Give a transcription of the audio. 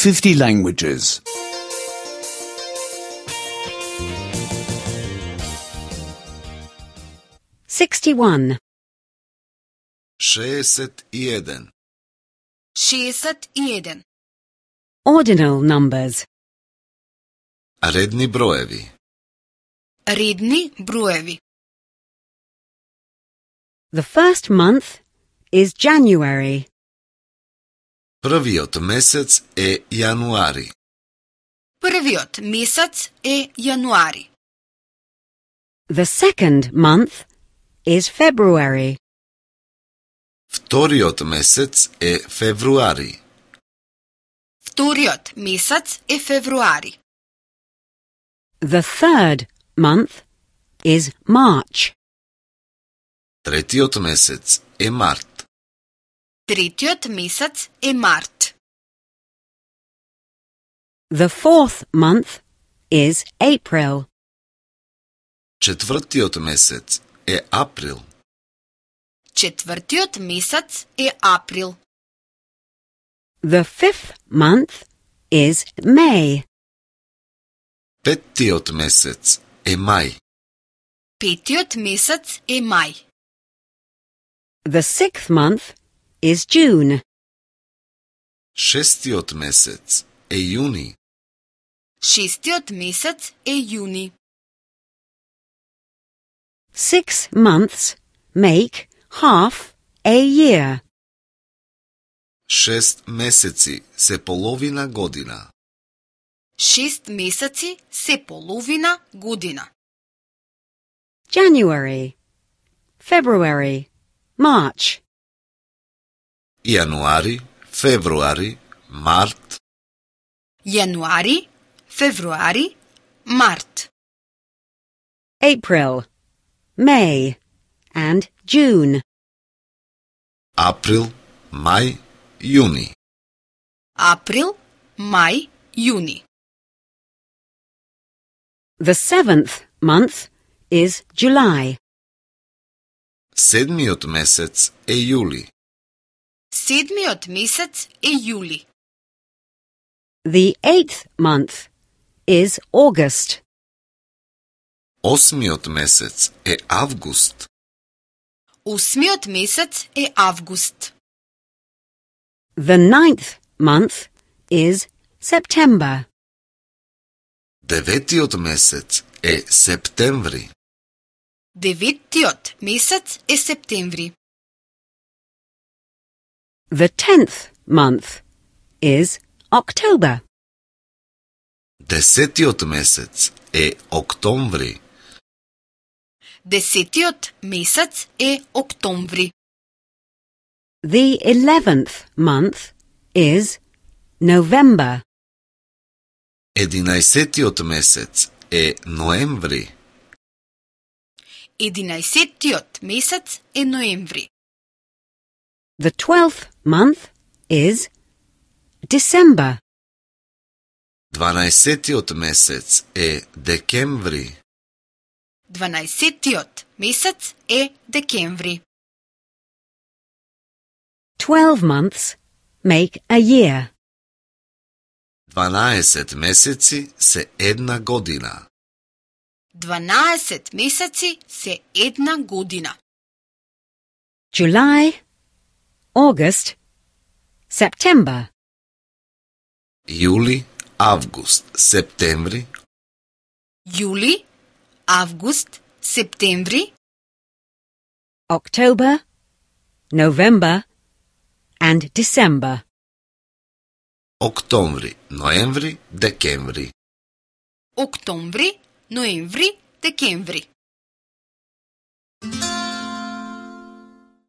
50 languages. 61. 61. 61. Ordinal numbers. Redni brojevi. Redni brojevi. The first month is January. Prviot mesec je januari. Prviot mesec je januari. The second month is February. Vtoriot mesec je februari. Vtoriot mesec je februari. The third month is March. Tretiot mesec je mart. Tretjiot mesec je mart. The fourth month is April. Četvrtiot mesec je april. Četvrtiot mesec je april. The fifth month is May. Petiot mesec je maj. Petiot mesec je maj. The sixth month is June. Šestiot mesec je juni. Šestiot mesec je juni. 6 months make half a year. 6 meseci se polovina godina. 6 meseci se polovina godina. January, February, March. Januari, februari, mart. Januari, februari, mart. April, May, and June. April, maj, juni. April, maj, juni. The seventh month is July. Sedmiot mesec je juli. Sedmiot mesec je juli. The eighth month is August. Osmiot mesec je avgust. Osmiot mesec je avgust. The ninth month is September. Devetiot mesec je septembri. Devetiot mesec je septembri. The 10th month is October. Desetiot mesec je oktobri. Desetiot mesec je oktobri. The 11th month is November. Edinajsetiot mesec je noembri. Edinajsetiot mesec je noembri. The 12th month is December. Dvanajsetiot mesec je dekembri. Dvanajsetiot mesec je dekembri. 12 months make a year. 12 meseci se jedna godina. 12 meseci se jedna godina. July, August, September. Juli, avgust, septembri. Juli, avgust, septembri. October, November, and December. Oktobri, noembri, dekembri. Oktobri, noembri, dekembri.